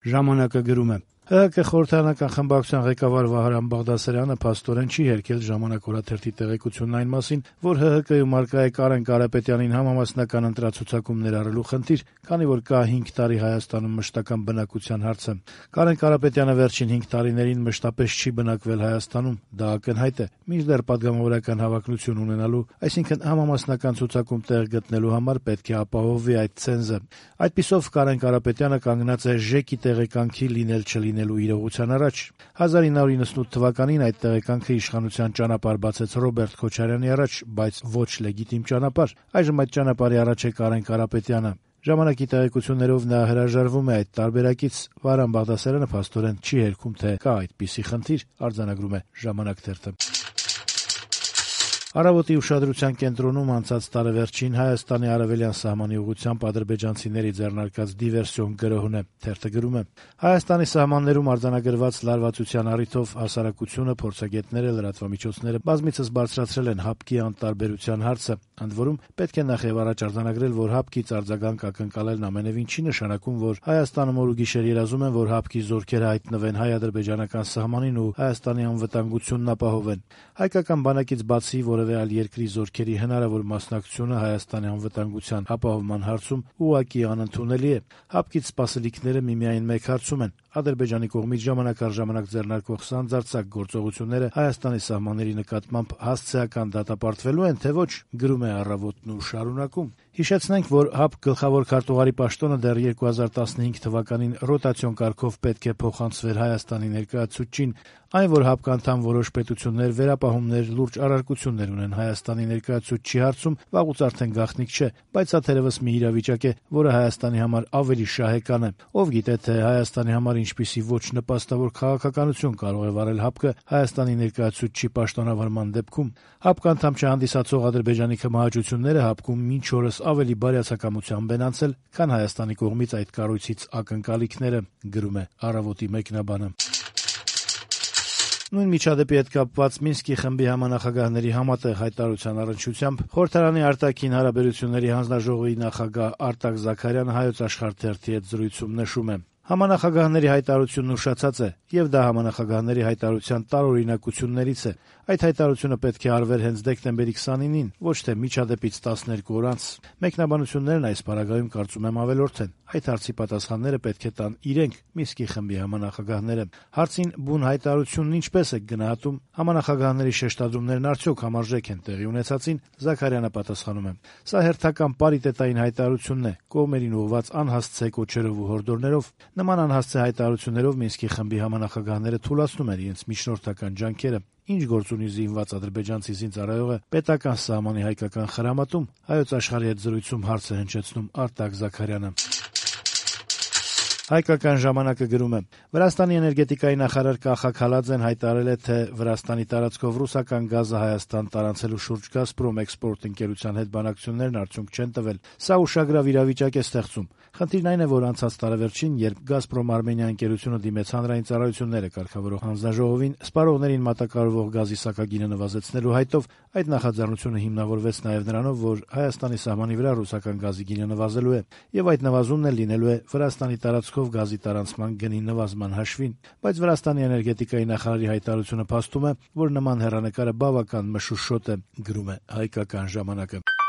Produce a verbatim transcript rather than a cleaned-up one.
Ժամանակը գրում է. «ՀՀԿ խորհրդարանական խմբակցության ղեկավար Վահրամ Բաղդասարյանը փաստորեն չի հերքել «Ժամանակ» օրաթերթի տեղեկությունն այն մասին, որ ՀՀԿ-ում առկա է Կարեն Կարապետյանին համամասնական ընտրացուցակում ներառելու խնդիր, քանի որ կա հինգ տարի Հայաստանում մշտական բնակության հարցը։ Կարեն Կարապետյանը վերջին հինգ տարիներին մշտապես չի բնակվել Հայաստանում, դա ակնհայտ է, մինչդեռ պատգամավորական հավակնություն ունենալու, այսինքն համամասնական ցուցակում տեղ գտնելու համար պետք է ապահովվի այդ ցենզը։ Այդպիսով Կարեն Կարապետյանը կանգնած է ԺԵԿ-ի տեղեկանքի լինել-չլինելու իրողության առաջ։ հազար ինը հարյուր իննսունութ թվականին այդ տեղեկանքը իշխանության ճանապարհ բացեց Ռոբերտ Քոչարյանի առաջ, բայց ոչ լեգիտիմ ճանապարհ։ Այժմ այդ ճանապարհի առաջ է Կարեն Կարապետյանը։ Ժամանակի տեղեկություններով նա հրաժարվում է այդ տարբերակից։ Վահրամ Բաղդասարյանը փաստորեն չի հերքում, թե կա այդպիսի խնդիր, արձանագրում է «Ժամանակ» թերթը։ Առավոտի ուշադրության կենտրոնում անցած տարեվերջին Հայաստանի արևելյան սահմանի ուղղությամբ ադրբեջանցիների ձեռնարկած դիվերսիոն գրոհն է։ Թերթը գրում է. Հայաստանի սահմաններում արձանագրված լարվածության առիթով հասարակությունը, փորձագետները, լրատվամիջոցները բազմիցս բարձրացրել են հապկի անտարբերության հարցը։ Ընդ որում, պետք է նախ եւ առաջ արձանագրել, որ հապկից արձագանք ակնկալելն ամենևին չի նշանակում, որ Հայաստանում օր ու գիշեր երազում են, որ հապկի զորքերը հայտնվեն հայ-ադրբեջանական սահմանին ու Հայաստանի անվտանգությունն ապահովեն։ Հայկական բանակից բացի որևէ այլ երկրի զորքերի հնարավոր մասնակցությունը Հայաստանի անվտանգության ապահովման հարցում ուղղակի անընդունելի է։ Հապկից սպասելիքները միմիայն մեկ հարցում են. Ադրբեջանի կողմից ժամանակ առ ժամանակ ձեռնարկվող սանձարձակ գործողությունները Հայաստանի սահմանների նկատմամբ հասցեական դատապարտվելու են, թե ոչ, գրում է «Առավոտն» ու շարունակում. Հիշեցնենք, որ ՀԱՊԿ գլխավոր քարտուղարի պաշտոնը դեռ երկու հազար տասնհինգ թվականին ռոտացիոն կարգով պետք է փոխանցվեր Հայաստանի ներկայացուցչին, այն, որ ՀԱՊԿ անդամ որոշ պետություններ վերապահումներ, լուրջ առարկություններ ունեն Հայաստանի ներկայացուցչի հարցում, վաղուց արդեն գաղտնիք չէ, բայց սա թերևս մի իրավիճակ է, որը Հայաստանի համար ավելի շահեկան է։ Ով գիտե, թե Հայաստանի համար ինչպիսի ոչ նպաստավոր քաղաքականություն կարող է վարել ՀԱՊԿ Հայաստանի ներկայացուցչի պաշտոնավարման դեպքում։ ՀԱՊԿ անդամ չհանդիսացող Ադրբեջանի քմահաճությունները ՀԱՊԿ-ում մինչ օրս ավելի բարյացակամությամբ են անցել, քան Հայաստանի կողմից այդ կառույցից ակնկալիքները, գրում է «Առավոտի» մեկնաբանը։ Նույն միջադեպի հետ կապված Մինսկի խմբի համանախագահների համատեղ հայտարարության առնչությամբ խորհրդարանի արտաքին հարաբերությունների հանձնաժողովի նախագահ Արտակ Զաքարյանը Հայոց Աշխարհ թերթի հետ զրույցում նշում է. Համանախագահների հայտարարությունն ուշացած է, եւ դա համանախագահների հայտարարության տարօրինակություններից է։ Այդ հայտարարությունը պետք է արվեր հենց դեկտեմբերի քսանինին, ոչ թե միջադեպից տասներկու օր անց։ Մեկնաբանություններն այս պարագայում կարծում եմ ավելորդ են։ Այդ հարցի պատասխանները պետք է տան իրենք, Մինսկի խմբի համանախագահները։ Հարցին բուն հայտարարությունն ինչպես է գնահատում, համանախագահների շեշտադրումներն արդյոք համարժեք են տեղի ունեցածին, Զաքարյանը պատասխանում է. Սա հերթական պարիտետային հայտարարությունն է, կողմերին ուղղված անհասցե կոչերով ու հորդորներով։ Նման անհասցե հայտարարություններով Մինսկի խմբի համանախագահները թուլացնում են իրենց միջնորդական ջանքերը։ Ինչ գործ ունի զինված ադրբեջանցի զինծառայողը պետական սահմանի հայկական խրամատում, Հայոց Աշխարհի հետ զրույցում հարց է հնչեցնում Արտակ Զաքարյանը։ Հայկական ժամանակը գրում է. Վրաստանի էներգետիկայի նախարար Կախա Քալաձեն հայտարարել է, թե Վրաստանի տարածքով ռուսական գազը Հայաստան տարանցելու շուրջ Գազպրոմ էքսպորտ ընկերության հետ բանակցություններն արդյունք չեն տվել։ Սա ուշագրավ իրավիճակ է ստեղծում։ Խնդիրն այն է, որ անցած տարեվերջին, երբ Գազպրոմ Արմենիա ընկերությունը դիմեց հանրային ծառայությունները կարգավորող հանձնաժողովին, սպառողներին մատակարարվող գազի սակագինը նվազեցնելու հայտով, այդ նախաձեռնությունը հիմնավորվեց նաև նրանով, որ Հայաստանի սահմանի վրա ռուսական գազի գինը նվազելու է, եւ այդ նվազումն էլ լինելու է Վրաստանի տարածքով գազի տարանցման գնի նվազման հաշվին, բայց Վրաստանի էներգետիկայի նախարարի հայտարարությունը փաստում է, որ նման հեռանկարը բավական մշուշոտ է, գրում է Հայկական ժամանակը։